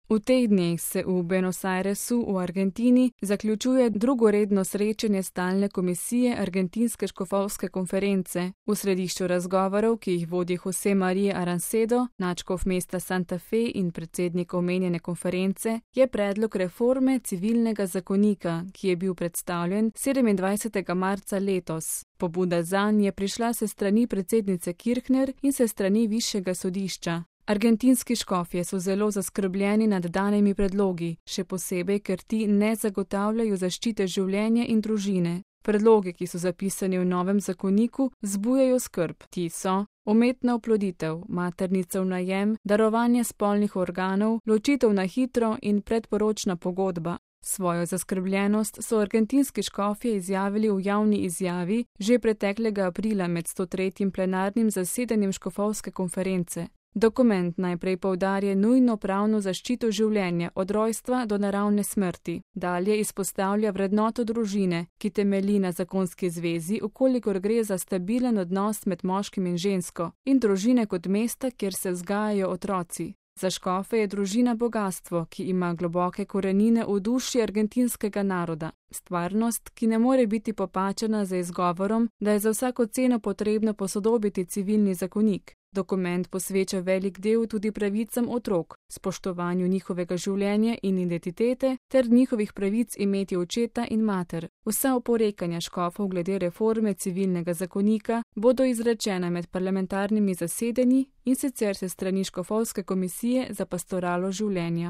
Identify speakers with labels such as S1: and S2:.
S1: V teh dneh se v Buenos Airesu v Argentini zaključuje drugo redno srečanje stalne komisije Argentinske škofovske konference. V središču razgovorov, ki jih vodi José María Arancedo, nadškof mesta Santa Fe in predsednik omenjene konference, je predlog reforme civilnega zakonika, ki je bil predstavljen 27. marca letos. Pobuda zanj je prišla se strani predsednice Kirchner in se strani višjega sodišča. Argentinski škofje so zelo zaskrbljeni nad danimi predlogi, še posebej, ker ti ne zagotavljajo zaščite življenja in družine. Predlogi, ki so zapisani v novem zakoniku, vzbujajo skrb. Ti so umetna oploditev, maternica v najem, darovanje spolnih organov, ločitev na hitro in predporočna pogodba. Svojo zaskrbljenost so argentinski škofje izjavili v javni izjavi že preteklega aprila med 103. plenarnim zasedanjem škofovske konference. Dokument najprej poudarja nujno pravno zaščito življenja od rojstva do naravne smrti. Dalje izpostavlja vrednoto družine, ki temelji na zakonski zvezi, ukolikor gre za stabilen odnos med moškim in žensko, in družine kot mesta, kjer se vzgajajo otroci. Za škofe je družina bogastvo, ki ima globoke korenine v duši argentinskega naroda. Stvarnost, ki ne more biti popačena z izgovorom, da je za vsako ceno potrebno posodobiti civilni zakonik. Dokument posveča velik del tudi pravicam otrok, spoštovanju njihovega življenja in identitete ter njihovih pravic imeti očeta in mater. Vsa oporekanja škofov glede reforme civilnega zakonika bodo izrečena med parlamentarnimi zasedanji in sicer se strani škofovske komisije za pastoralo življenja.